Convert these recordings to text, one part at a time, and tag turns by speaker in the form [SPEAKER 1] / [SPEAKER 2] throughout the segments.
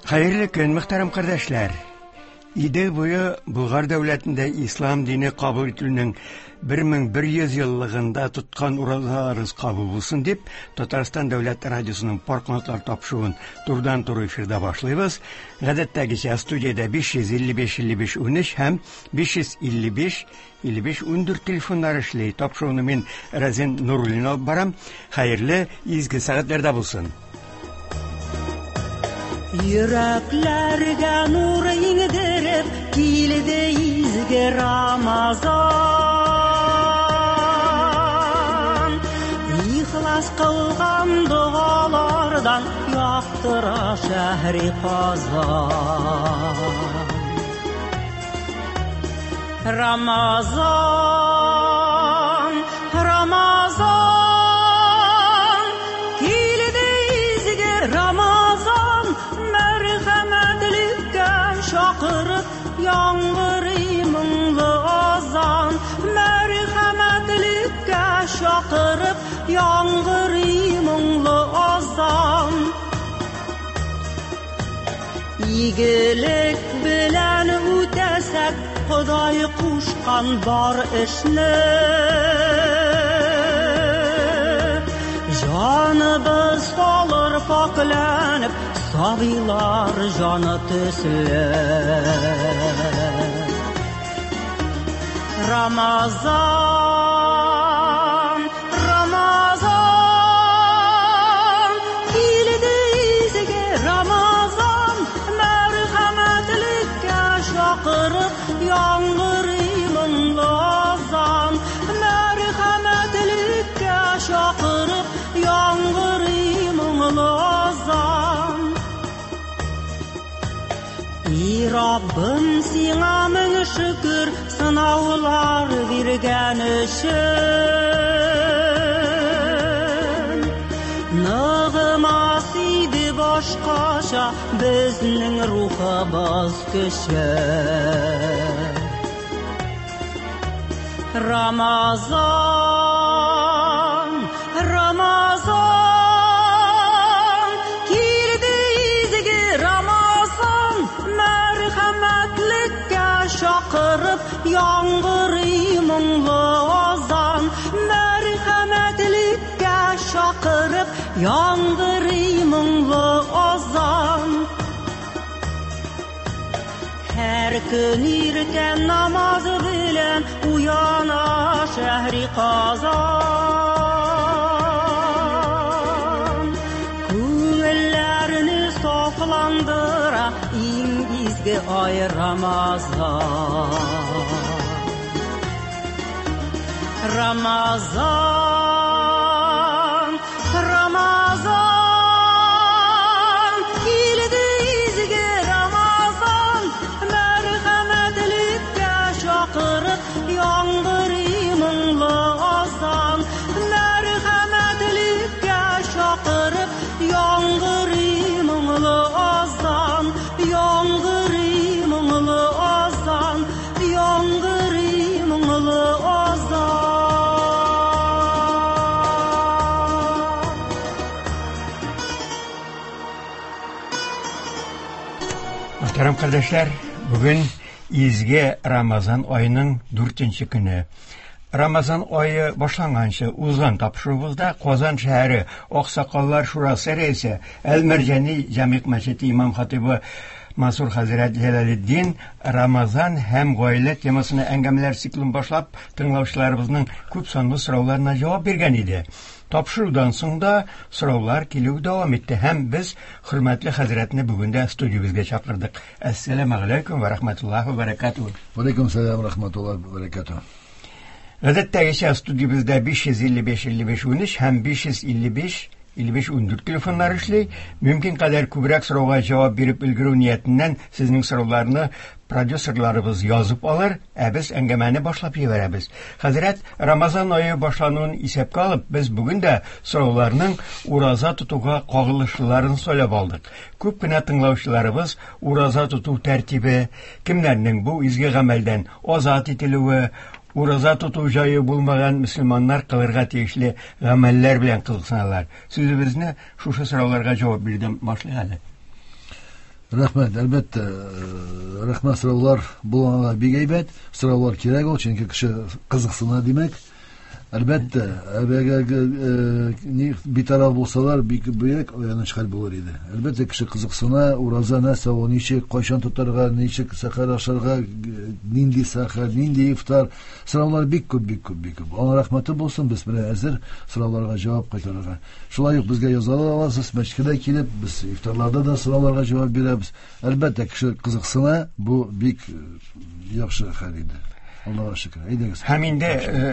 [SPEAKER 1] Хәерле көн, мөхтәрәм кардәшләр! Идел буе Болгар дәүләтендә ислам дине кабул ителүнең 1100 еллыгында тоткан уразаларыгыз кабул булсын дип, Татарстан дәүләт радиосының Пар канатлар тапшыруын турыдан-туры эфирда башлыйбыз. Гадәттәгечә студиядә 555 55 13 һәм 555 55 14 телефоннары эшли. Тапшыруны мин Разин Нуруллин алып барам. Хәерле, изге сәгатьләрдә булсын.
[SPEAKER 2] Йөрәкләргә нур иңдереп килде изге Рамазан. Ихлас кылган догалардан яктыра шәһри Казан. Рамазан, Рамазан, килде изге Рамазан, мәрхәмәтлеккә чакырып, яңгырый моңлы азан, мәрхәмәтлеккә чакырып, яңгырый моңлы азан. Игелек белән үтәсәк, Ходай кушкан бар эшне. Җаныбыз салыр пакьләнеп, сабыйлар җаны төсле. Рамазан, Рамазан, килде изге Рамазан, мәрхәмәтлеккә чакырып, яңгырый моңлы азан, мәрхәмәтлеккә чакырып, яңгырый моңлы азан. И Раббым, сиңа мең шөкер, сынаулар биргән өчен. Ныгымас иде башкача безнең рухыбыз көче. Рамазан, Рамазан, килде изге Рамазан, мәрхәмәтлеккә чакырып, яңгырый моңлы азан, мәрхәмәтлеккә чакырып, яңгырый моңлы азан. Һәр көн иртән намаз белән уяна шәһри Казан. Күңелләрне сафландыра иң изге ай Рамазан. Рамазан, Рамазан, килде изге Рамазан, мәрхәмәтлеккә чакырып, яңгырый моңлы азан, мәрхәмәтлеккә чакырып, яңгырый моңлы азан, яңгырый моңлы азан, яңгырый моңлы азан.
[SPEAKER 1] Мөхтәрәм кардәшләр, бүген изге Рамазан аеның 4 көне. Рамазан ае башланганчы узган тапшыруыбызда Казан шәһәре Аксакаллар шурасы рәисе Әл-Мәрҗани Җәмигъ мәчете имам хатибы Мансур хәзрәт Җәләлетдин Рамазан һәм гаилә темасына әңгәмәләр циклын башлап, тыңлаучыларыбызның күп санлы сорауларына җавап биргән иде. Тапшырудан соң да сораулар килү дәвам итте һәм без хөрмәтле хәзрәтне бүген дә студиябезгә чакырдык. Әссәламү алейкум ва рахматуллаһи ва баракатуһ.
[SPEAKER 3] Ва алейкум сәлам рахматуллаһи ва баракатуһ.
[SPEAKER 1] Гадәттәгечә студиябездә 555 55 13 һәм 555 55 14 телефоннары эшли. Мөмкин кадәр күбрәк сорауга җавап биреп өлгерү ниятеннән сезнең сорауларны продюсерларыбыз язып алыр, ә без әңгәмәне башлап җибәрәбез. Хәзрәт, Рамазан ае башлануын исәпкә алып, без бүген дә сорауларның ураза тотуга кагылышлыларын сайлап алдык. Күп кенә тыңлаучыларыбыз ураза тоту тәртибе, кемнәрнең бу изге гамәлдән азат ителүе, ураза тоту җае булмаган мөселманнар кылырга тиешле гамәлләр белән кызыксыналар. Сүзебезне шушы сорауларга җавап бирдем башлыйк әле.
[SPEAKER 3] Рәхмәт, әлбәттә, рәхмәт, сораулар булганга бик әйбәт. Сораулар кирәк ул, чөнки кеше кызыксына, димәк. Әлбәттә, ни битараф булсалар, бик бөек аяныч хәл булыр иде. Әлбәттә, кеше кызыксына, ураза нәрсә ул, ничек, кайчан тотарга, ничек сәхәр ашарга, нинди сәхәр, нинди ифтар. Сораулар бик күп, бик күп, бик күп. Алла рәхмәте булсын, без менә әзер сорауларга җавап кайтарырга. Шулай ук безгә яза аласыз, мәчеткә дә килеп, без ифтарларда да сорауларга җавап бирәбез. Әлбәттә, кеше кызыксына, бу бик яхшы хәл инде. Аллага шөкер. Әйдәгез.
[SPEAKER 1] Һәм инде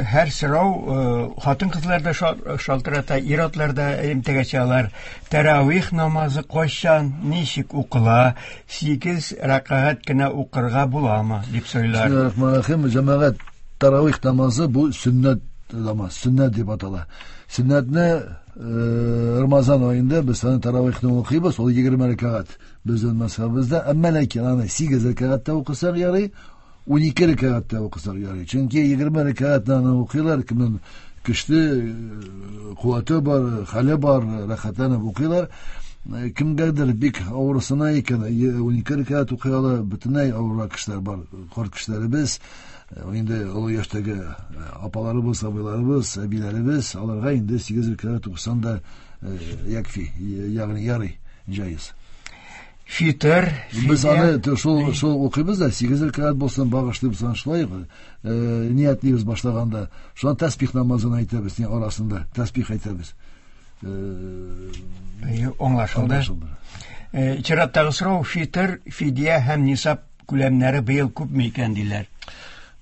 [SPEAKER 1] һәр сорау хатын-кызлар да шалтырата, ир-атлар да элемтәгә чыгалар. Тәравих намазы кайчан, ничек укыла, 8 рәкәгать кенә укырга буламы дип сорыйлар.
[SPEAKER 3] Бисмиллахир-рахманир-рахим. Җәмәгать, тәравих намазы бу сөннәт намаз, сөннәт дип атала. Сөннәтне Рамазан аенда без аны тәравихны укыйбыз, ул 20 рәкәгать безнең мәзһәбебездә. Әмма ләкин аны 8 рәкәгатьтә укысак ярый, 12 рәкәгатьтә укысак ярый. Чөнки 20 рәкәгатьне аны укыйлар, кемнең көчле куәте бар, хәле бар, рәхәтләнеп укыйлар. Кемгәдер бик авырсына икән, 12 рәкәгать укый ала, бөтенләй авыррак кешеләр бар, карт кешеләребез, инде олы яшьтәге апаларыбыз, абыйларыбыз, әбиләребез, аларга инде 8 рәкәгать укысаң да якфи, ягъни ярый, җайыз.
[SPEAKER 1] Фитыр,
[SPEAKER 3] Без аны шул укыйбыз да, 8 рәкәгать булсын, багышлыйбыз аны шулай, ниятлибез башлаганда. Шуннан тәсбих намазын әйтәбез, ни арасында тәсбих әйтәбез.
[SPEAKER 1] Аңлашылды. Чираттагы сорау, фитыр, фидия һәм нисаб күләмнәре быел күпме икән диләр.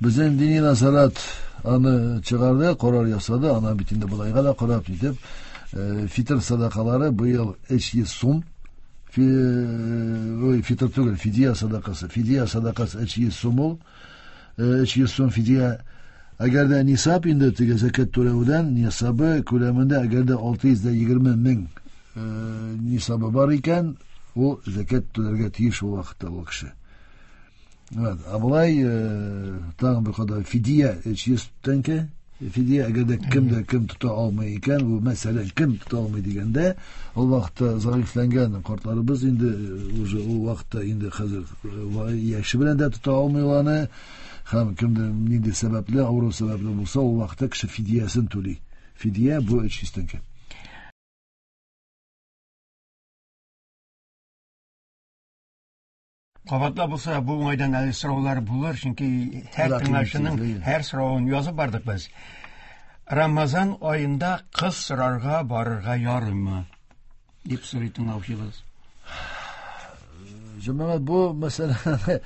[SPEAKER 3] Безнең дини назарат аны чыгарды, карар ясады, ана бит инде болайга да карап итеп, фитыр садакалары быел 300 сум. Фитыр түгел, фидия садакасы. Фидия садакасы 300 сум ул. 300 сум фидия. Әгәр дә нисаб инде теге зәкят түләүдән нисабы күләмендә әгәр дә 620 мең нисабы бар икән, ул зәкят түләргә тиеш ул вакытта ул кеше. Evet, ә болай тагын бер кадәр фидия 300 тәңкә. Фидия әгәр дә кем дә кем тота алмый икән, бу мәсәлән, кем тота алмый дигәндә, ул вакытта зәгыйфьләнгән картларыбыз инде уже ул вакытта инде хәзер яше белән дә тота алмый аны, һәм кемдер нинди сәбәпле, авыру сәбәпле булса, ул вакытта кеше фидиясен түли. Фидия бу 300 тәңкә.
[SPEAKER 1] Кабатлап булса, бу уңайдан әле сораулар булыр, чөнки һәр тыңлаучының һәр соравын язып бардык без. Рамазан аенда кыз сорарга барырга ярыймы? Дип сорый тыңлаучыбыз.
[SPEAKER 3] Җәмәгать, бу мәсәлән,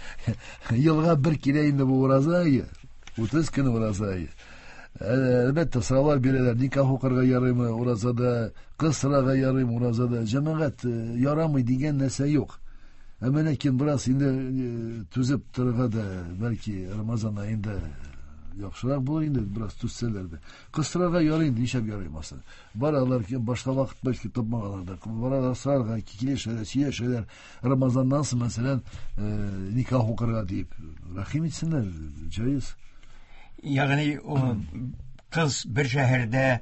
[SPEAKER 3] елга бер килә инде бу ураза ае, 30 көн ураза ае. Әлбәттә, сораулар бирәләр, никах укырга ярыймы уразада, кыз сорарга ярыймы уразада. Җәмәгать, ярамый дигән нәрсә юк. Әмма ләкин бераз инде түзеп торырга да, бәлки Рамазан аенда яхшырак булыр инде, бераз түзсәләр дә. Кыз сорарга ярый инде, нишләп ярыймасын. Баралар, башка вакыт бәлки тапмаганнар да. Баралар сорарга, килешәләр, сөйләшәләр. Рамазаннан соң, мәсәлән, никах укырга дип. Рәхим итсеннәр, җайыз.
[SPEAKER 1] Ягъни, кыз бер шәһәрдә,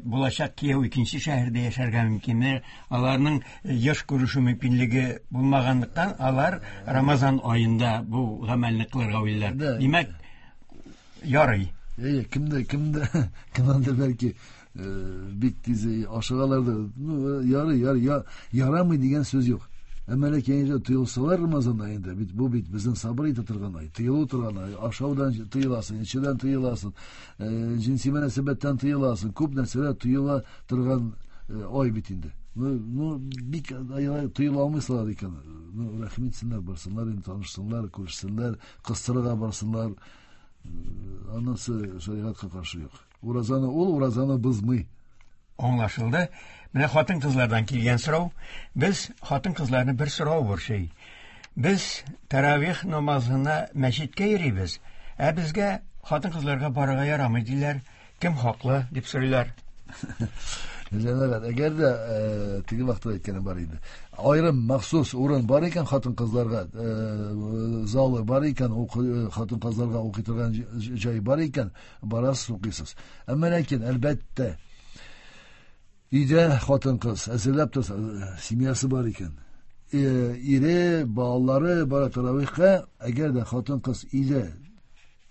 [SPEAKER 1] булачак кияү икенче шәһәрдә яшәргә мөмкин. Аларның еш күрешү мөмкинлеге булмаганлыктан, алар Рамазан аенда бу гамәлне кылырга уйлыйлар. Димәк, ярый.
[SPEAKER 3] Әйе, кемдә бәлки бик тиз ашыгалар да. Ну, ярый, ярый, ярамый дигән сүз юк. Әмма ләкин инде тыелсалар Рамазан аенда, бит бу бит безнең сабыр итә торган ай, тыелу торган ай, ашаудан тыеласың, эчүдән тыеласың, җенси мөнәсәбәттән тыеласың, күп нәрсәләр тыела торган ай бит инде. Ну, бик тыела алмыйсылар икән. Ну, рәхим итсеннәр, барсыннар инде, танышсыннар, күрешсеннәр, кыстырырга барсыннар. Анысы шәригатькә каршы юк. Уразаны ул, уразаны бозмый.
[SPEAKER 1] Аңлашылды. Менә хатын-кызлардан килгән сорау. Без хатын-кызларны бер сорау борчый. Без тәравих намазына мәчеткә йөрибез, ә безгә хатын-кызларга барырга ярамый диләр. Кем хаклы дип сорыйлар.
[SPEAKER 3] Җәмәгать, әгәр дә теге вакытта әйткәнем бар иде. Аерым махсус урын бар икән хатын-кызларга, залы бар икән, хатын-кызларга укый торган җай бар икән, барасыз, укыйсыз. Әмма ләкин, әлбәттә, өйдә хатын-кыз әзерләп торса, семьясы бар икән. Ире, балалары бара таравихка, әгәр дә хатын-кыз өйдә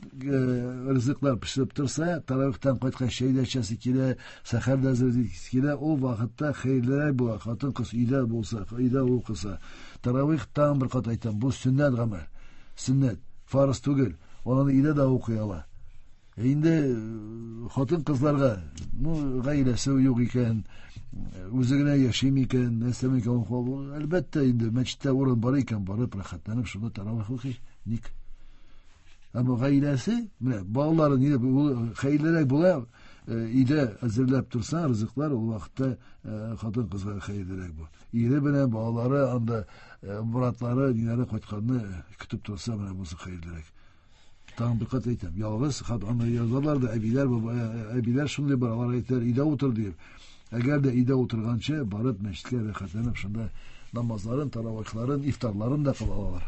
[SPEAKER 3] ризыклар пешереп торса, таравихтан кайткач чәй дә эчәсе килә, сәхәр дә әзерлисе килә, ул вакытта хәерлерәк була, хатын-кыз өйдә булса, өйдә укыса. Таравих тагын бер кат әйтәм, бу сөннәт гамәл. Сөннәт, фарыз түгел. Аны өйдә дә укый ала. Инде хатын-кызларга, ну, гаиләсе юк икән, үзе генә яши микән, нәрсә микән, әлбәттә, инде мәчеттә урын бар икән, барып рәхәтләнеп шунда таравих укый. Ник? Әмма гаиләсе, менә балалары ни хәерлерәк була, өйдә әзерләп торса, ризыклар ул вакытта хатын-кызга хәерлерәк бу. Ире белән балалары анда братлары, ниләре кайтканны көтеп торса, менә бусы хәерлерәк. Тагын бер кат әйтәм, ялгыз, хат аны язалар да, әбиләр, әбиләр шундый бар, алар әйтәләр, өйдә утыр дип. Әгәр дә өйдә утырганчы, барып мәчеткә рәхәтләнеп шунда намазларын, таравихларын, ифтарларын да кыла алалар.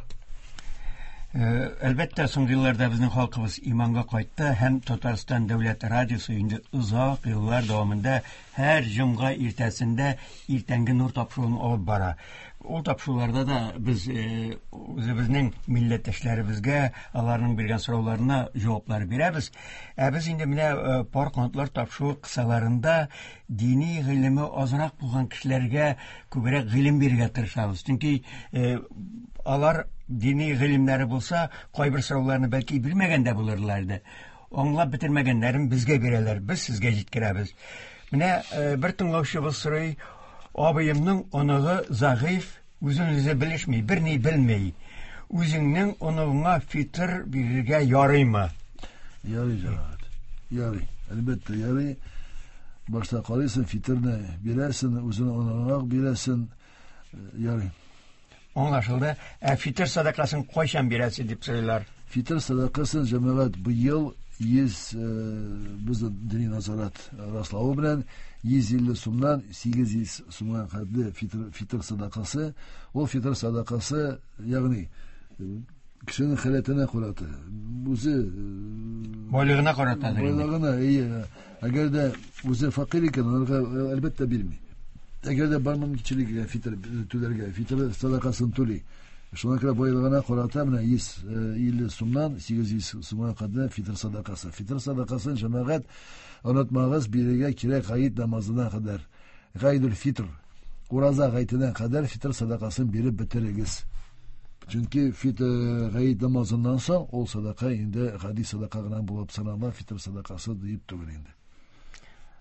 [SPEAKER 1] Әлбәттә, соңгы елларда безнең халкыбыз иманга кайтты һәм Татарстан дәүләт радиосы инде озак еллар дәвамында һәр җомга иртәсендә иртәнге нур тапшыруын алып бара. Ул тапшыруларда да без үзебезнең милләттәшләребезгә аларның биргән сорауларына җаваплар бирәбез. Ә без инде менә пар канатлар тапшыруы кысаларында дини гыйлеме азрак булган кешеләргә күбрәк гыйлем бирергә тырышабыз. Чөнки алар дини гыйлемнәре булса, кайбер сорауларны бәлки белмәгән дә булырлар иде. Аңлап бетермәгәннәрен безгә бирәләр, без сезгә җиткерәбез. Менә бер тыңлаучыбыз сорый, абыемның оныгы зәгыйфь, үзен үзе белешми, берни белми. Үзеңнең оныгыңа фитр бирергә ярыймы?
[SPEAKER 3] Ярый, җәмәгать. Ярый. Әлбәттә, ярый. Башта карыйсың, фитрне бирәсең, үзеңнең оныгыңа бирәсең. Ярый.
[SPEAKER 1] Аңлашылды. Ә фитр садакасын кайчан бирәсе дип сорыйлар?
[SPEAKER 3] Фитр садакасын, җәмәгать, быел 100 безнең дини назарат раславы белән 150 сумнан 800 сумга хәтле фитр садакасы. Ул фитр садакасы, ягъни кешенең халәтенә карата, үзе
[SPEAKER 1] байлыгына карата,
[SPEAKER 3] байлыгына, әйе. Әгәр дә үзе фәкыйрь икән, аларга әлбәттә бирми. Әгәр дә бар мөмкинчелеге фитр түләргә, фитр садакасын түли. Шуңа күрә байлыгына карата менә 150 сумнан 800 сумга кадәр фитр садакасы. Фитр садакасын, җәмәгать, онытмагыз, бирергә кирәк гает намазына кадәр. Гаидул фитр, ураза гаетенә кадәр фитр садакасын биреп бетерегез. Чөнки фитр гает намазыннан соң ул садака инде гади садака гына булып санала, фитр садакасы диеп түгел инде.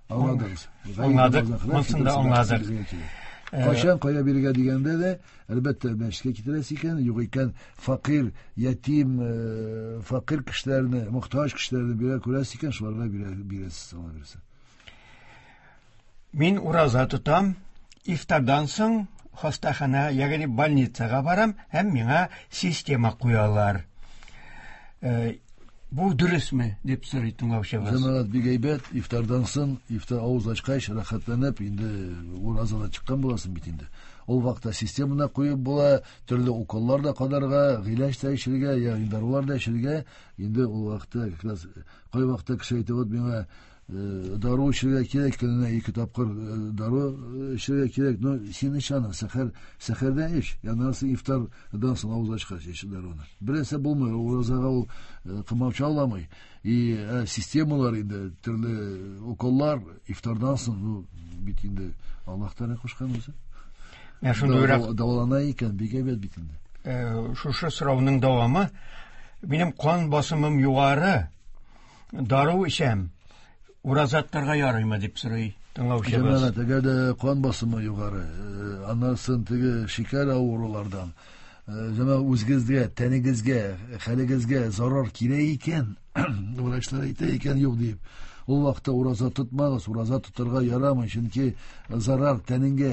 [SPEAKER 3] Аңладыгыз?
[SPEAKER 1] Аңладык, монысын да аңладык.
[SPEAKER 3] Кайчан кая бирергә дигәндә дә, әлбәттә, мәчеткә китерәсе икән, юк икән, фәкыйрь, ятим, фәкыйрь кешеләрне, мохтаҗ кешеләрне бирә күрәсе икән, шуларга бирәсез, Алла бирсә.
[SPEAKER 1] Мин ураза тотам, ифтардан соң хастахана, ягъни больницага барам һәм миңа система куялар. Бу дөресме дип сорый тыңлаучыбыз.
[SPEAKER 3] Җәмәгать, бик әйбәт, ифтардан соң, ифтар авыз ачкач, рәхәтләнеп, инде уразадан чыккан буласың бит инде. Ул вакытта системаны куеп була, төрле уколлар да кадарга, гыйләҗ дә эчәргә, ягъни дарулар да эчәргә. Инде ул вакытта как раз кай вакытта кеше әйтә, вот миңа дару эчәргә кирәк, көненә 2 тапкыр дару эчәргә кирәк. Но син эч аны, сәхәрдә эч. Аннан соң ифтардан соң авыз ачкач эч даруны. Берәрсе булмый, уразага ул комачауламый. И системалар инде, төрле уколлар ифтардан соң, ну, бит инде Аллаһ Тәгалә кушкан үзе.
[SPEAKER 1] Менә шундыйрак
[SPEAKER 3] дәвалана икән, бик әйбәт бит инде.
[SPEAKER 1] Шушы сорауның дәвамы, минем кан басымым югары, дару эчәм, ураза тотарга ярыймы дип сорый тыңлаучыбыз.
[SPEAKER 3] Җәмәгать, әгәр дә кан басымы югары, аннан соң теге шикәр авырулардан, җәмәгать, үзегезгә, тәнегезгә, хәлегезгә зарар килә икән, врачлар әйтә икән, юк дип, ул вакытта ураза тотмагыз, ураза тотарга ярамый, чөнки зарар тәнеңгә,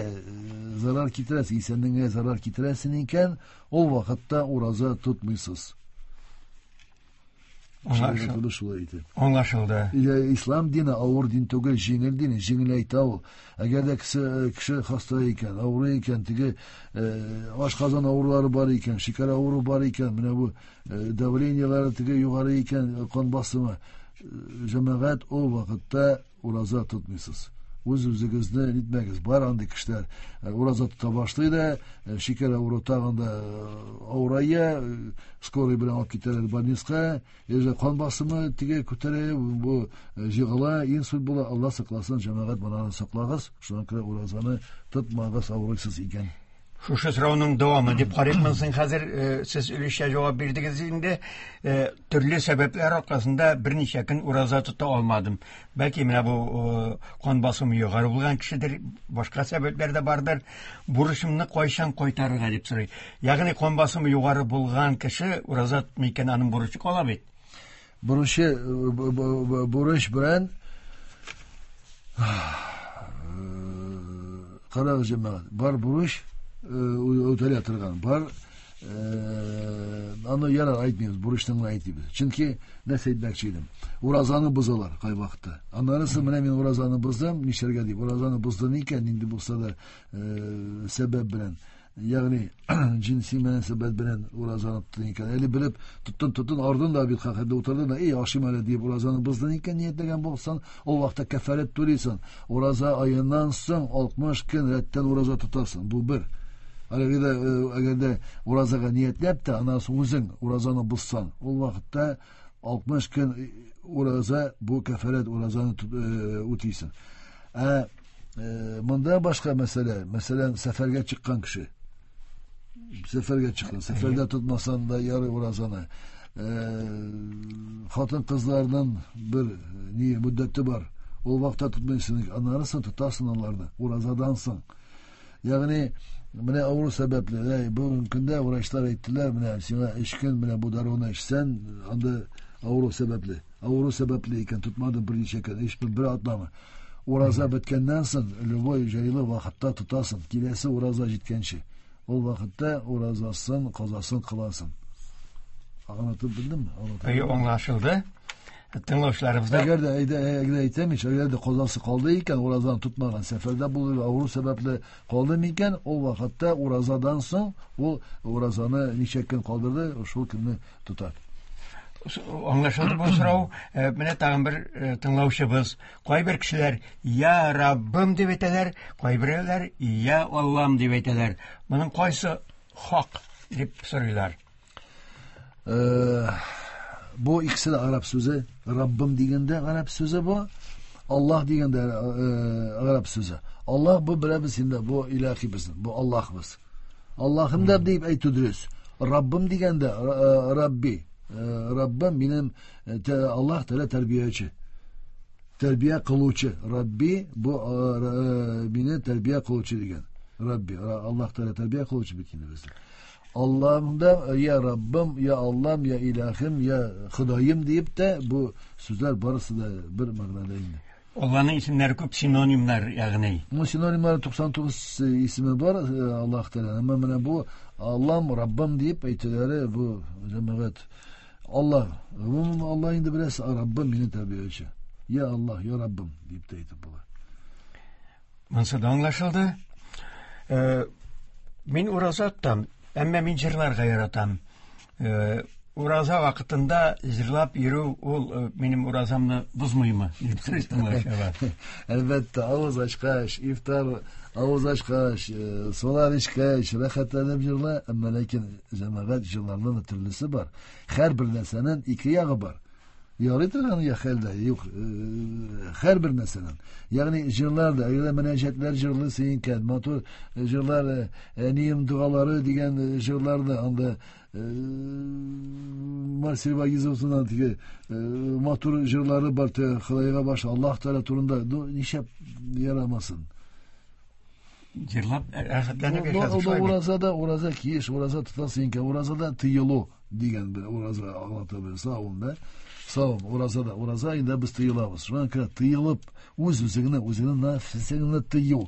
[SPEAKER 3] зарар китерәсең, исәнлегеңә зарар китерәсең икән, ул вакытта ураза тотмыйсыз.
[SPEAKER 1] Аңлашылды.
[SPEAKER 3] Шулай итеп.
[SPEAKER 1] Аңлашылды.
[SPEAKER 3] Ислам дине авыр дин түгел, җиңел дин, җиңел әйтә ул. Әгәр дә кеше хаста икән, авырый икән, теге ашказан авырулары бар икән, шикәр авыруы бар икән, менә бу давлениеләре теге югары икән, кан басымы, җәмәгать, ул вакытта ураза тотмыйсыз. Үз-үзегезне нитмәгез. Бар андый кешеләр ураза тота башлый да, шикәр авыру тагын да авырая, скорый белән алып китәләр больницага, яже кан басымы теге күтәрә, бу җыгыла, инсульт була. Алла сакласын, җәмәгать, моны саклагыз. Шуңа күрә уразаны тотмагыз авырыйсыз икән.
[SPEAKER 1] Шушы сорауның дәвамы дип карыйкмын хәзер, сез өлешчә җавап бирдегез инде. Төрле сәбәпләр аркасында берничә көн ураза тота алмадым. Бәлки менә бу кан басымы югары булган кешедер, башка сәбәпләр дә бардыр. Бурычымны кайчан кайтарырга дип сорый. Ягъни кан басымы югары булган кеше ураза тотмый икән, аның бурычы кала бит.
[SPEAKER 3] Бурычы бурыч белән карагыз, җәмәгать, бар бурыч үтәлә торган, бар аны ярар әйтмибез, бурычны гына әйтмибез. Чөнки нәрсә әйтмәкче идем? Уразаны бозалар кайвакытта. Аннары менә мин уразаны боздым, нишләргә дип, уразаны боздым икән, нинди булса да сәбәп белән, ягъни җинси мөнәсәбәт белән уразаны тоттың икән, әле белеп тоттың, ардың да бит хәтта утырдың да, эй, ашыйм әле дип уразаны боздың икән, ниятләгән булсаң, ул вакытта кәфарәт түлисең. Ураза аеннан соң 60 көн рәттән ураза тотасың. Бу бер. Әгәр дә уразага ниятләп тә, аннан соң үзең уразаны бозсаң, ул вакытта 60 көн ураза, бу кәфарәт уразаны үтисең. Ә монда башка мәсьәлә, мәсәлән, сәфәргә чыккан кеше. Сәфәргә чыккан, сәфәрдә тотмасан да ярый уразаны. Хатын-кызларның бер ни мөддәте бар. Ул вакытта тотмыйсың, аннары соң тотасың аларны уразадан соң. Ягъни менә авыру сәбәпле, бүгенге көндә врачлар әйттеләр, менә сиңа 3 көн менә бу даруны эчсән, анда авыру сәбәпле. Авыру сәбәпле икән, тотмадың берничә көн, 3 көн, бер атнамы. Ураза беткәннән соң, любой җайлы вакытта тотасың, киләсе ураза җиткәнче. Ул вакытта уразасын, казасын кыласың. Аңлатып белдемме?
[SPEAKER 1] Әйе, аңлашылды. Тыңлаучыларыбызда
[SPEAKER 3] Әгәр дә әйдә, әгәр әйтәм ич, әгәр дә казасы калды икән, уразаны тотмаган, сәфәрдә булды, авыру сәбәпле калды микән, ул вакытта уразадан соң ул уразаны ничә көн калдырды, шул көнне тота.
[SPEAKER 1] Аңлашылды бу сорау. Менә тагын бер тыңлаучыбыз. Кайбер кешеләр «Я Раббым» дип әйтәләр, кайберәүләр «Я Аллам» дип әйтәләр. Моның кайсы хак дип сорыйлар.
[SPEAKER 3] Бу икесе дә араб сүзе. Раббым дигәндә араб сүзе бу, Аллаһ дигәндә араб сүзе. Аллаһ бу беләбез инде, бу илаһи безнең, бу Аллаһыбыз. Аллаһым да дип әйтү дөрес. Раббым дигәндә Рабби, Раббым минем Аллаһ Тәгалә тәрбияче. Тәрбия кылучы. Рабби бу мине тәрбия кылучы дигән. Рабби, Аллаһ Тәгалә тәрбия кылучы бит инде безне. Аллаһым да я Раббым, я Аллам, я Илаһым, я Ходаем дип тә бу сүзләр барысы да бер мәгънәдә инде.
[SPEAKER 1] Аллаһның исемнәре күп, синонимнар, ягъни.
[SPEAKER 3] Бу синонимнар 99 исеме бар Аллаһ Тәгалә. Әмма менә бу Аллам, Раббым дип әйтүләре бу җәмәгать Аллаһ. Гомумән Аллаһ инде беләсез, Раббым мине тәрбияче. Я Аллаһ, я Раббым дип тә әйтеп була.
[SPEAKER 1] Монысы да аңлашылды. Мин ураза тотам, әмма мин җырларга яратам. Ураза вакытында җырлап йөрү ул минем уразамны бозмыймы дип сорый тыңлаучылар.
[SPEAKER 3] Әлбәттә, авыз ачкач, ифтар авыз ачкач, сулар эчкәч, рәхәтләнеп җырла, әмма ләкин җәмәгать җырларның да төрлесе бар. Һәр бер нәрсәнең ике ягы бар. Ярый торган я хәлдә, юк, һәр бер нәрсәнең. Ягъни җырлар да, әгәр мөнәҗәтләр җырлыйсың икән, матур җырлар, әнием дугалары дигән җырлар да анда Марсель Вагизовның теге матур җырлары бар, Ходайга баш, Аллаһ Тәгалә турында, ну, нишләп ярамасын?
[SPEAKER 1] Җырлап рәхәтләнеп яшәсен шулай бит.
[SPEAKER 3] Уразада, ураза киеш, ураза тотасың икән, уразада тыелу дигән бер ураза аңлата бер савым да. Савым, уразада, ураза инде без тыелабыз. Шуңа күрә тыелып, үз үзеңне, үзеңнең нәфсеңне тыю.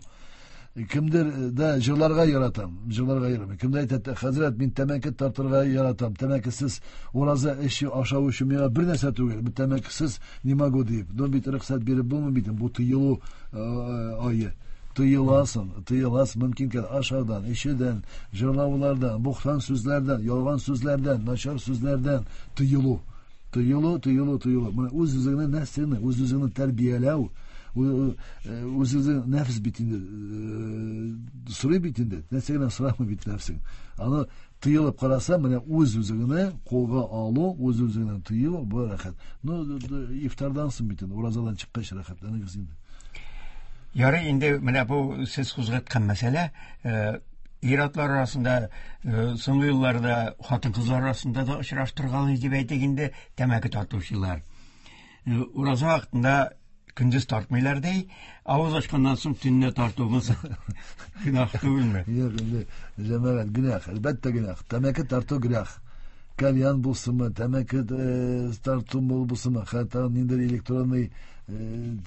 [SPEAKER 3] Кемдер да җырларга яратам, җырларга яратам. Кемдер әйтә, хәзрәт, мин тәмәке тартырга яратам, тәмәкесез ураза эчү, ашау өчен миңа бер нәрсә түгел, мин тәмәкесез не могу дип. Но бит рөхсәт биреп булмый бит, бу тыелу ае. Тыеласың, тыеласың, мөмкин кадәр ашаудан, эчүдән, җырлаулардан, бухтан сүзләрдән, ялган сүзләрдән, начар сүзләрдән тыелу. Тыелу, тыелу, тыелу. Менә үз үзеңне нәфсеңне, үз үзеңне тәрбияләү, Үзеңнең нәфс бит инде сорый бит инде. Нәрсә генә сорамый бит нәфсең. Аны тыелып караса, менә үз-үзеңне кулга алу, үз-үзеңне тыю бу рәхәт. Ну, ифтардан соң бит инде, уразадан чыккач рәхәтләнегез инде.
[SPEAKER 1] Ярый инде менә бу сез кузгаткан мәсьәлә, ир-атлар арасында соңгы елларда хатын-кызлар арасында да очраштыргалый дип әйтик инде тәмәке тартучылар. Ураза вакытында көндез тартмыйлар ди, авыз ачканнан соң төнлә тартуыбыз гөнаһ түгелме?
[SPEAKER 3] Юк инде, җәмәгать, гөнаһ, әлбәттә гөнаһ. Тәмәке тарту гөнаһ. Кальян булсынмы, тәмәке тарту булсынмы, хәтта ниндидер электронный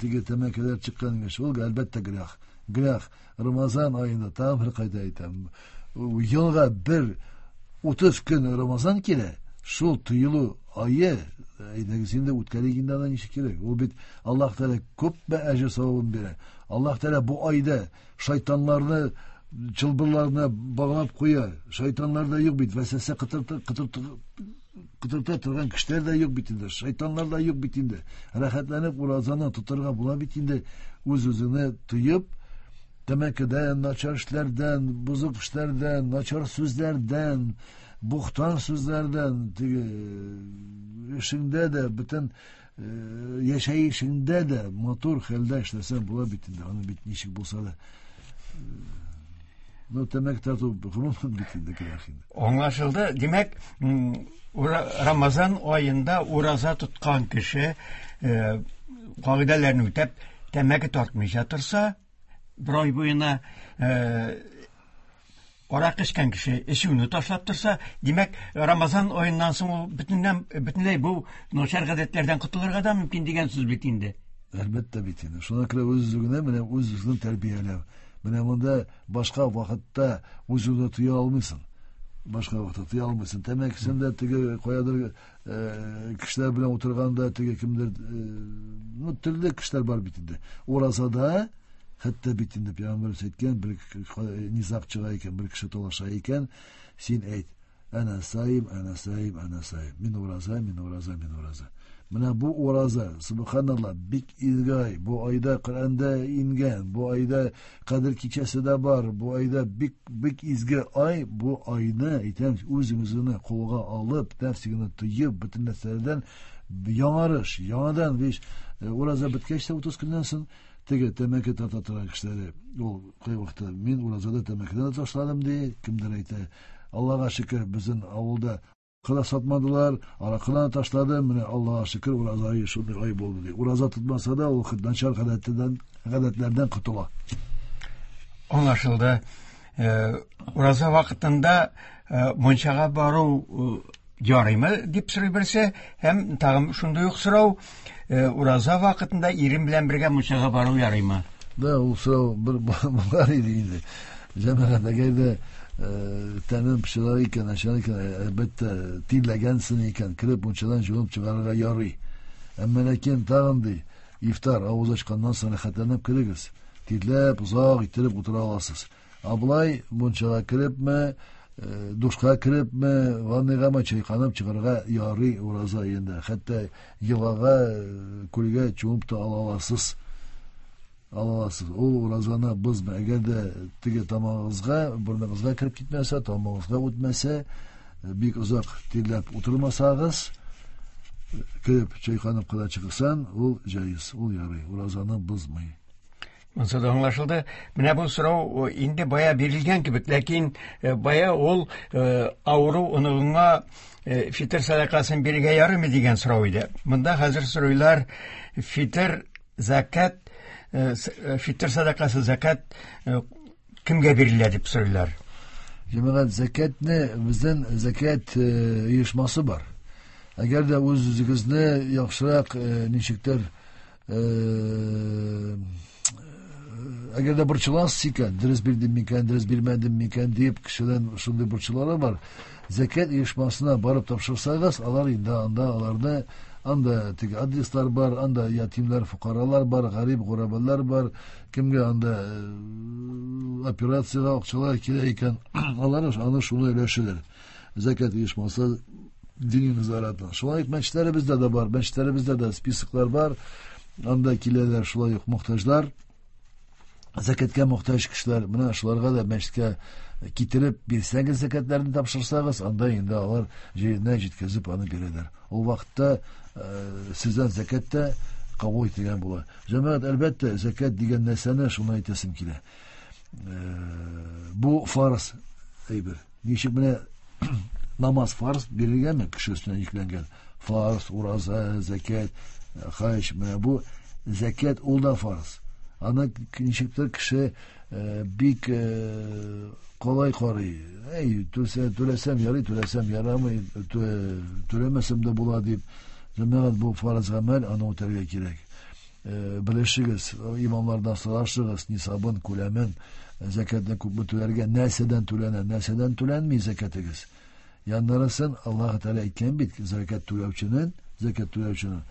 [SPEAKER 3] теге тәмәкеләр чыккан имеш, ул әлбәттә гөнаһ. Гөнаһ. Рамазан аенда тагын бер кайта әйтәм. Елга бер 30 көн Рамазан килә, шул тыелу ае, әйдәгез инде үткәрик инде аны ничек кирәк. Ул бит Аллаһ Тәгалә күпме әҗер савабын бирә. Аллаһ Тәгалә бу айда шайтаннарны чылбырларына баглап куя. Шайтаннар да юк бит, вәсвәсә кытырта торган кешеләр дә юк бит инде, шайтаннар да юк бит инде. Рәхәтләнеп уразаны тотарга була бит инде, үз-үзеңне тыеп, тәмәкедән, начар эшләрдән, бозык эшләрдән, начар сүзләрдән, бухтан сүзләрдән, теге эшеңдә дә, бөтен яшәешеңдә дә матур хәлдә эшләсәң була бит инде, аны бит ничек булса да. Ну, тәмәке тарту гомумән бит инде гөнаһ инде.
[SPEAKER 1] Аңлашылды. Димәк, Рамазан аенда ураза тоткан кеше кагыйдәләрне үтәп, тәмәке тартмыйча торса, бер ай буена аракы эчкән кеше эчүне ташлап торса, димәк, Рамазан аеннан соң ул бөтенләй бу начар гадәтләрдән котылырга да мөмкин дигән сүз бит инде.
[SPEAKER 3] Әлбәттә бит инде. Шуңа күрә үз-үзеңне, менә үз-үзеңне тәрбияләү. Менә монда башка вакытта үз-үзеңне тыя алмыйсың. Башка вакытта тыя алмыйсың. Тәмәкесен дә теге каядыр кешеләр белән утырганда теге кемдер, ну, төрле кешеләр бар бит инде. Уразада хәтта бит инде пәйгамбәр әйткән, бер низаг чыга икән, бер кеше талаша икән, син әйт: Әнә саим, әнә саим, әнә саим. Мин ураза, мин ураза, мин ураза. Менә бу ураза, субханалла, бик изге ай. Бу айда Коръәндә ингән, бу айда Кадер кичәсе дә бар, бу айда бик бик изге ай. Бу айны әйтәм, үзегезне кулга алып, нәфсегезне тыеп, бөтен нәрсәләрдән яңарыш, яңадан биш ураза беткәч тә 30 көннән соң теге тәмәке тарта торган кешеләре, ул кайвакытта мин уразада тәмәкедән дә ташладым ди, кемдер әйтә. Аллага шөкер, безнең авылда кына сатмадылар, аракыны ташлады, менә Аллага шөкер, ураза ае шундый ай булды ди. Ураза тотмаса да, ул начар гадәтләрдән котыла.
[SPEAKER 1] Аңлашылды. Ураза вакытында мунчага бару ярыймы дип сорый берсе, һәм тагын шундый ук сорау, ураза вакытында ирем белән бергә мунчага бару ярыймы?
[SPEAKER 3] Да, ул сорау бер булган иде инде. Җәмәгать, әгәр дә тәнен пычрак икән, начар икән, әлбәттә, тирләгәнсең икән, кереп мунчадан җуынып чыгарырга ярый. Әмма ләкин тагын ди, ифтар авыз ачканнан соң рәхәтләнеп керегез. Тирләп, озак иттереп утыра аласыз. Ә болай мунчага керепме, душка керепме, ванныйгамы чайканып чыгарга ярый ураза аенда. Хәтта елгага, күлгә чумып та ала аласыз. Ала аласыз. Ул уразаны бозмый. Әгәр дә теге тамагыгызга, борыныгызга кереп китмәсә, тамагыгызга үтмәсә, бик озак тирләп утырмасагыз, кереп чайканып кына чыксаң, ул җайыз, ул ярый, уразаны бозмый.
[SPEAKER 1] Монысы да аңлашылды. Менә бу сорау инде бая бирелгән кебек, ләкин бая ул авыру оныгыңа фитыр сәдакасын бирергә ярыймы дигән сорау иде. Монда хәзер сорыйлар, фитыр закат, фитыр сәдакасы закат кемгә бирелә дип сорыйлар.
[SPEAKER 3] Җәмәгать, закатны безнең закат оешмасы бар. Әгәр дә үз-үзегезне яхшырак ничектер, әгәр дә борчыласыз икән, дөрес бирдем микән, дөрес бирмәдем микән дип кешедән шундый борчулары бар. Закат оешмасына барып тапшырсагыз, алар инде анда аларны, анда теге адреслар бар, анда ятимнәр, фукаралар бар, гарип, гурабалар бар, кемгә анда операциягә акчалар кирәк икән, алар аны шуны өләшәләр. Закат оешмасы дини назаратына. Шулай ук мәчетләребездә дә бар, мәчетләребездә дә списоклар бар. Анда киләләр шулай ук мохтаҗлар, зәкәткә мохтаҗ кешеләр. Менә шуларга да мәчеткә китереп бирсәгез, зәкәтләрен тапшырсагыз, анда инде алар җиренә җиткезеп аны бирәләр. Ул вакытта сездән зәкәт тә кабул ителгән була. Җәмәгать, әлбәттә, зәкәт дигән нәрсәне шуны әйтәсем килә. Бу фарыз әйбер. Ничек менә намаз фарыз бирелгәнме кеше өстенә йөкләнгән? Фарыз, ураза, зәкәт, хаҗ, менә бу зәкәт ул да фарыз. Аны ничектер кеше бик калай карый. Әй, түләсәм ярый, түләсәм ярамый, түләмәсәм дә була дип. Җәмәгать, бу фарыз гамәл, аны үтәргә кирәк. Белешегез, имамлардан сорашыгыз, нисабын, күләмен, зәкәтне күпме түләргә, нәрсәдән түләнә, нәрсәдән түләнми зәкәтегез. Яннарысын Аллаһ Тәгалә әйткән бит, зәкәт түләүченең, зәкәт түләүченең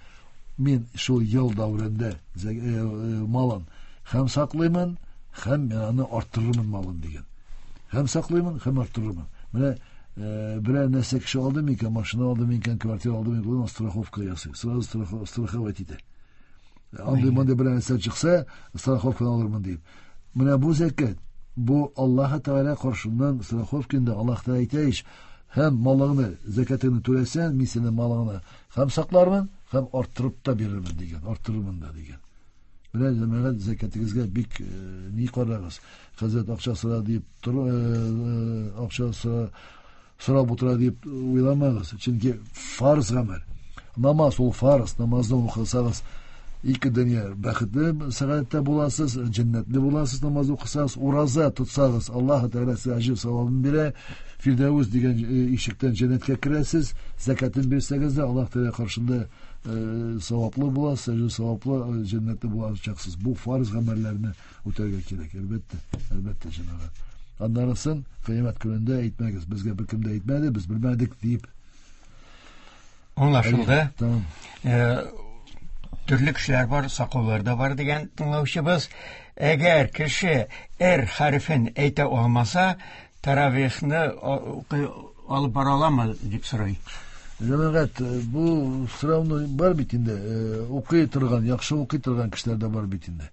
[SPEAKER 3] мин шул ел дәверендә малын һәм саклыймын, һәм мин аны арттырырмын малын дигән. Һәм саклыймын, һәм арттырырмын. Менә берәр нәрсә кеше алды микән, машина алды микән, квартира алды микән, ул страховка ясый. Сразу страховать итә. Андый мондый берәр нәрсә чыкса, страховканы алырмын дип. Менә бу зәкәт, бу Аллаһ Тәгалә каршыннан страховка инде. Аллаһ Тәгалә әйтә ич, һәм малыңны, зәкәтеңне түләсәң, мин синең малыңны һәм саклармын, һәм арттырып та бирермен дигән, арттырырмын да дигән. Менә җәмәгать, зәкәтегезгә бик ни карагыз. Хәзрәт акча сора дип, акча сорап утыра дип уйламагыз. Чөнки фарыз гамәл. Намаз ул фарыз, намазны укысагыз, ике дөнья бәхетле сәгатьтә буласыз, җәннәтле буласыз намаз укысагыз, ураза тотсагыз, Аллаһ Тәгалә сезгә әҗер савабын бирә. Фирдәүс дигән ишектән җәннәткә керәсез, зәкәтен бирсәгез дә Аллаһ Тәгалә каршында саваплы буласыз, әҗер саваплы, җәннәтле булачаксыз. Бу фарыз гамәлләрне үтәргә кирәк, әлбәттә, әлбәттә, җәмәгать. Аннарысын кыямәт көнендә әйтмәгез, безгә беркем дә әйтмәде, без белмәдек дип.
[SPEAKER 1] Аңлашылды. Tamam. Төрле кешеләр бар, сакаулар да бар дигән тыңлаучыбыз. Әгәр кеше «р» хәрефен әйтә алмаса, таравихны алып бара аламы дип сорый.
[SPEAKER 3] Җәмәгать, бу сорауны бар бит инде, укый торган, яхшы укый торган кешеләр дә бар бит инде.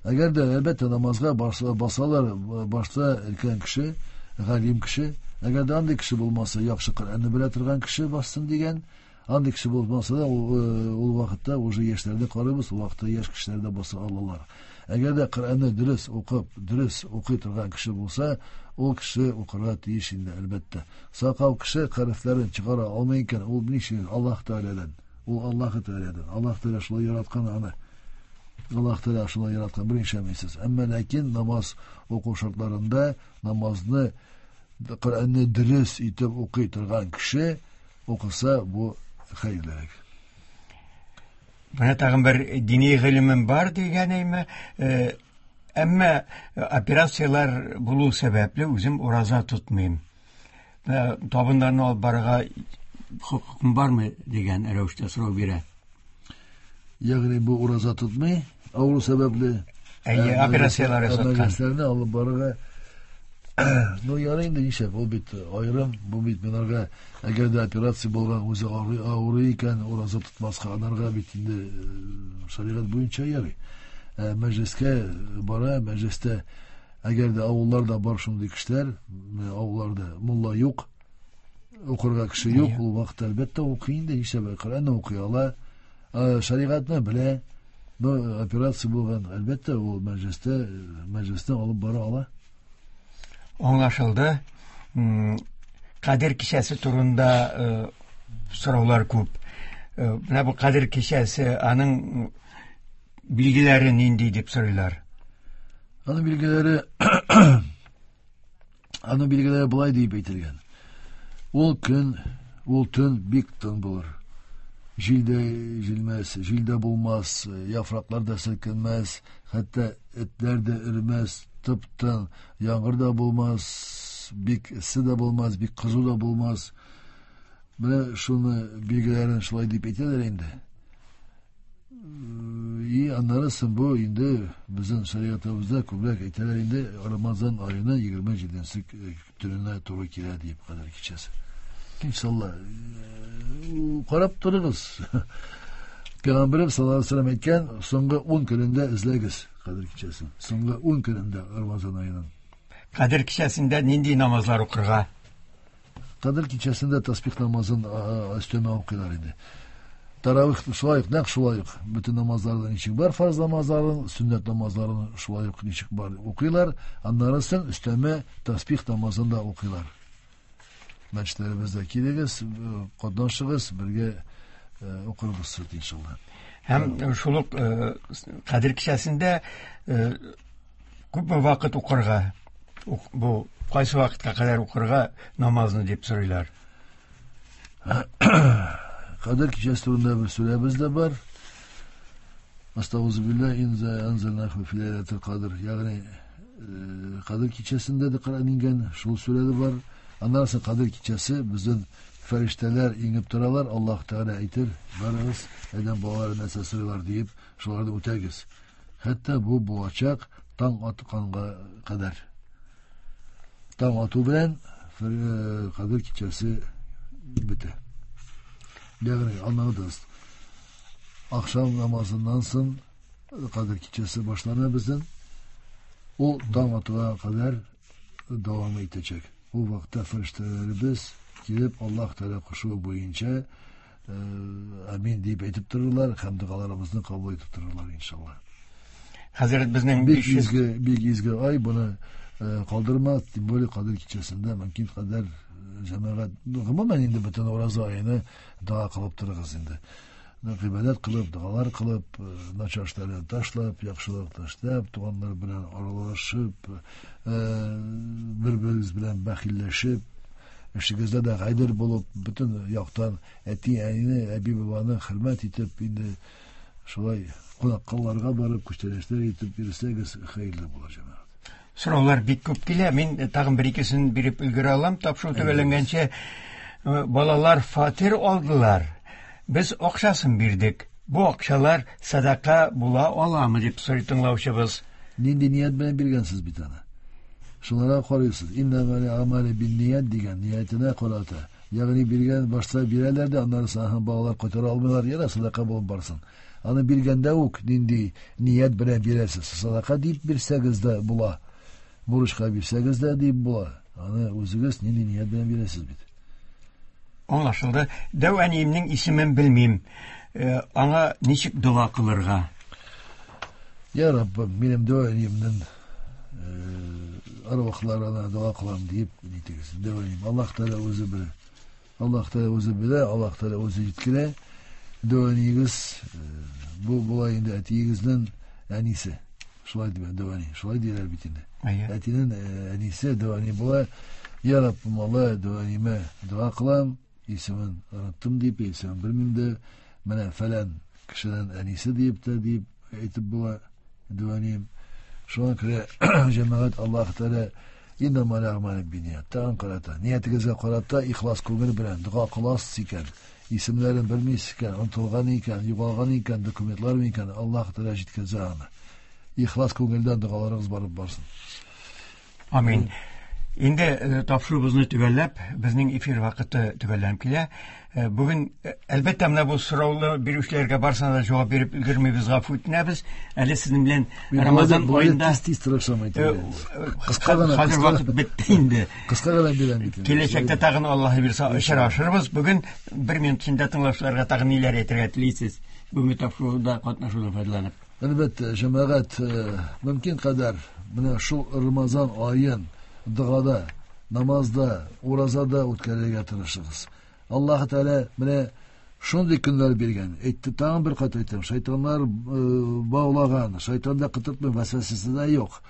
[SPEAKER 3] Әгәр дә, әлбәттә, намазга басалар, башта өлкән кеше, галим кеше, әгәр дә андый кеше булмаса, яхшы Коръәнне белә торган кеше бассын дигән, андый кеше булмаса да, ул вакытта уже яшьләрне карыйбыз, ул вакытта яшь кешеләр дә баса алалар. Әгәр дә Коръәнне дөрес укып, дөрес укый торган кеше булса, ул кеше укырга тиеш инде, әлбәттә. Сакал кеше хәрефләрен чыгара алмый икән, ул ничек Аллаһ Тәгаләдән, ул Аллаһ Тәгаләдән, Аллаһ Тәгалә шулай яраткан аны. Аллаһ Тәгалә шулай яраткан, бер нишләмисез. Әмма ләкин намаз уку шартларында намазны, Коръәнне дөрес итеп укый торган кеше укыса, бу хәерлерәк.
[SPEAKER 1] Менә тагын бер дини гыйлемем бар дигән әйме, әмма операцияләр булу сәбәпле үзем ураза тотмыйм. Табыннарны алып барырга хокукым бармы дигән рәвештә сорау бирә.
[SPEAKER 3] Ягъни бу ураза тотмый, авыру сәбәпле.
[SPEAKER 1] Әйе, операцияләр ясаткан.
[SPEAKER 3] Мәҗлесләрне алып барырга. Ну, ярый инде, нишләп, ул бит аерым, бу бит менәргә, әгәр дә операция булган, үзе авырый икән, ураза тотмаска, анарга бит инде шәригать буенча ярый. Мәҗлескә бара, мәҗлестә, әгәр дә авылларда бар шундый кешеләр, авылларда мулла юк, укырга кеше юк, ул вакытта әлбәттә укый инде, нишләп, Коръәнне укый ала, шәригатьне белә, но операция булган, әлбәттә, ул мәҗлестә алып бара ала.
[SPEAKER 1] Аңлашылды. Кадер кичәсе турында сораулар күп. Менә бу Кадер кичәсе, аның билгеләре нинди дип сорыйлар?
[SPEAKER 3] Аның билгеләре болай дип әйтелгән. Ул көн, ул төн бик тын булыр. Җил дә җилмәс, җил дә булмас, яфраклар да селкенмәс, хәтта этләр дә өрмәс, тып-тын, яңгыр да булмас, бик эссе дә булмас, бик кызу да булмас. Менә шуны билгеләрен шулай дип әйтәләр инде. И аннары соң бу инде безнең шәригатебездә күбрәк әйтәләр инде Рамазан аеның 27-нче төненә туры килә дип Кадер кичәсе. Иншалла, карап торыгыз. Пәйгамбәребез саллаллаһу алейһи ва сәлләм әйткән, соңгы 10 көнендә эзләгез Кадер кичәсен. Соңгы 10 көнендә Рамазан аеның.
[SPEAKER 1] Кадер кичәсендә нинди намазлар укырга?
[SPEAKER 3] Кадер кичәсендә тасбих намазын өстәмә укыйлар инде. Таравих шулай ук, нәкъ шулай ук. Бөтен намазларда ничек бар фарз намазларын, сөннәт намазларын шулай ук ничек бар укыйлар. Аннары соң өстәмә тасбих намазын да укыйлар. Мәчетләребездә килегез, катнашыгыз, бергә укырбыз иншалла.
[SPEAKER 1] Һәм шул ук Кадер кичәсендә күпме вакыт укырга? Бу кайсы вакытка кадәр укырга намазны дип сорыйлар.
[SPEAKER 3] Кадер кичәсе турында бер сүрәбез дә бар. Астагузу билла инза анзалнаху фи ләйләтил кадр. Ягъни Кадер кичәсендә дә Коръән иңгән, шул сүрә дә бар. Аннан соң Кадер кичәсе безнең фәрештәләр иңеп торалар, Аллаһ Тәгалә әйтер, барыгыз, адәм балалары нәрсә сорыйлар диеп, шуларны үтәгез. Хәтта бу булачак таң атканга кадәр. Таң ату белән Кадер кичәсе бетә. Ягъни аңладыгыз. Ахшам намазыннан соң Кадер кичәсе башлана безнең. Ул таң атуга кадәр дәвам итәчәк. Ул вакытта фәрештәләребез килеп Аллаһ Тәгалә кушуы буенча амин дип әйтеп торырлар һәм догаларыбызны кабул итеп торырлар иншалла.
[SPEAKER 1] Хәзрәт безнең
[SPEAKER 3] бик изге, бик изге ай, буны калдырма, тем более Кадер кичәсендә мөмкин кадәр җәмәгать, гомумән инде бөтен ураза аены дога кылып торыгыз инде. Гыйбадәт кылып, догалар кылып, начар эшләрне ташлап, яхшылык ташлап, туганнар белән аралашып, бер-берегез белән бәхилләшеп, эшегездә дә гадел булып, бөтен яктан әти-әнине, әби-бабаны хөрмәт итеп, инде шулай кунаккаларга барып, күчтәнәчләр итеп йөрсәгез, хәерле була, җәмәгать.
[SPEAKER 1] Сораулар бик күп килә. Мин тагын бер икесен биреп өлгерә алам. Тапшыру төгәлләнгәнче балалар фатир алдылар. Без акчасын бирдек. Бу акчалар садака була аламы дип сорый тыңлаучыбыз.
[SPEAKER 3] Нинди ният белән биргәнсез бит аны? Шуларга карыйсыз. Иннәмәл амале бинният дигән ниятенә карата. Ягъни биргән башта бирәләр дә, аннары соң балалар кайтара алмыйлар, яра садака булып барсын. Аны биргәндә үк нинди ният белән бирәсез? Садака дип бирсәгез дә була. Бурычка бирсәгез дә дип була. Аны үзегез нинди ният белән бирәсез бит.
[SPEAKER 1] Аңлашылды. Дәү әниемнең исемен белмим. Аңа ничек дога кылырга?
[SPEAKER 3] Я Раббым, минем дәү әниемнең арвахларына дога кылам дип нитегез. Дәү әнием, Аллаһ Тәгалә үзе белә. Аллаһ Тәгалә үзе белә, Аллаһ Тәгалә үзе җиткерә. Дәү әниегез бу була инде әтиегезнең әнисе. Шулай дип дәү әни, шулай диләр бит инде. Әтинең әнисе дәү әни була. Я Раббым, Алла, дәү әниемә дога кылам, исемен оныттым дип, исемен белмим дә, менә фәлән кешенең әнисе дип тә дип әйтеп була дәү әнием. Шуңа күрә җәмәгать Аллаһ Тәгалә иннәмәл әгъмалу бинният. Тагын карата, ниятегезгә карата ихлас күңел белән дога кыласыз икән, исемнәрен белмисез икән, онытылган икән, югалган икән, документлар икән, Аллаһ Тәгалә җиткезә аны. Ихлас күңелдән догаларыгыз барып барсын.
[SPEAKER 1] Амин. Инде тапшыруыбызны төгәлләп, безнең эфир вакыты төгәлләнеп килә. Бүген, әлбәттә, менә бу сораулы бирүчеләргә барсына да җавап биреп өлгермибез, гафу үтенәбез. Әле сезнең белән Рамазан аенда
[SPEAKER 3] тиз-тиз тырышам әйтергә.
[SPEAKER 1] Кыска гына, хәзер вакыт бетте инде.
[SPEAKER 3] Кыска гына бирәм бит.
[SPEAKER 1] Киләчәктә тагын Аллаһ бирсә очрашырбыз. Бүген бер минут эчендә тыңлаучыларга тагын ниләр әйтергә телисез? Бүгенге тапшыруда катнашудан файдаланып.
[SPEAKER 3] Әлбәттә, җәмәгать мөмкин кадәр менә шул Рамазан аен догада, намазда, уразада үткәрергә тырышыгыз. Аллаһ Тәгалә менә шундый көннәр биргән. Әйтте, тагын бер кат әйтәм, шайтаннар баулаган, шайтанда кытыртмый, вәсвәсәсе дә юк.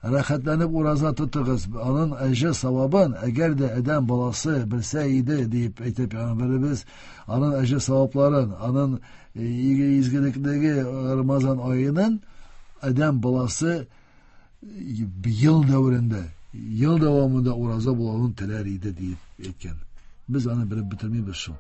[SPEAKER 3] Рәхәтләнеп ураза тотыгыз. Аның әҗер савабын, әгәр дә адәм баласы белсә иде дип әйтеп пәйгамбәребез, аның әҗер савапларын, аның изгелектәге Рамазан аенын адәм баласы ел дәверендә, ел дәвамында ураза булуын теләр иде дип әйткән. Без аны белеп бетермибез шул.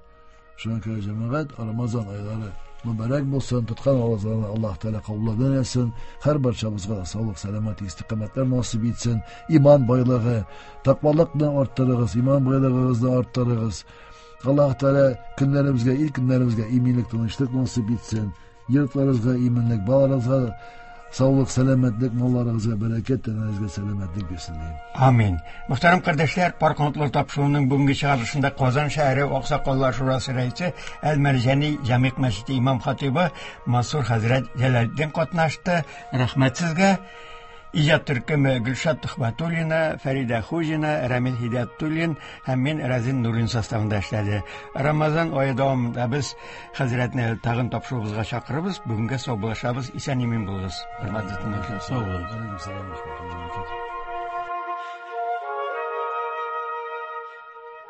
[SPEAKER 3] Шуңа күрә җәмәгать, Рамазан айлары мөбарәк булсын, тоткан уразаларны Аллаһ Тәгалә кабул итсен, һәр барчабызга саулык, сәламәт, истиқамәтләр насыйп итсен, иман байлыгы, тәкъвалыкны арттырыгыз, иман байлыгыгызны арттырыгыз. Аллаһ Тәгалә көннәребезгә, ил көннәребезгә иминлек, тынычлык насыйп итсен. Йортларыгызга иминлек, балаларыгызга саулык, сәламәтлек, малларыгызга бәрәкәт, тәнегезгә сәламәтлек бирсен дим.
[SPEAKER 1] Амин. Мөхтәрәм кардәшләр, Пар канатлар тапшыруының бүгенге чыгарылышында Казан шәһәре Аксакаллар шурасы рәисе Әл-Мәрҗани Җәмигъ мәчете имам хатыйбы Мансур хәзрәт Җәләлетдин катнашты. Рәхмәт сезгә. Иҗат төркеме Гөлшат Төхбәтуллина, Фәридә Хуҗина, Рәмил Һидәтуллин һәм мин Рәзин Нурин составында эшләде. Рамазан ае дәвамында без хәзрәтне тагын тапшыруыбызга чакырабыз. Бүгенгә саубуллашабыз. Исән-имин булыгыз. Хөрмәтле тыңлаучылар.
[SPEAKER 4] Сау булыгыз.
[SPEAKER 3] Алейкум салам.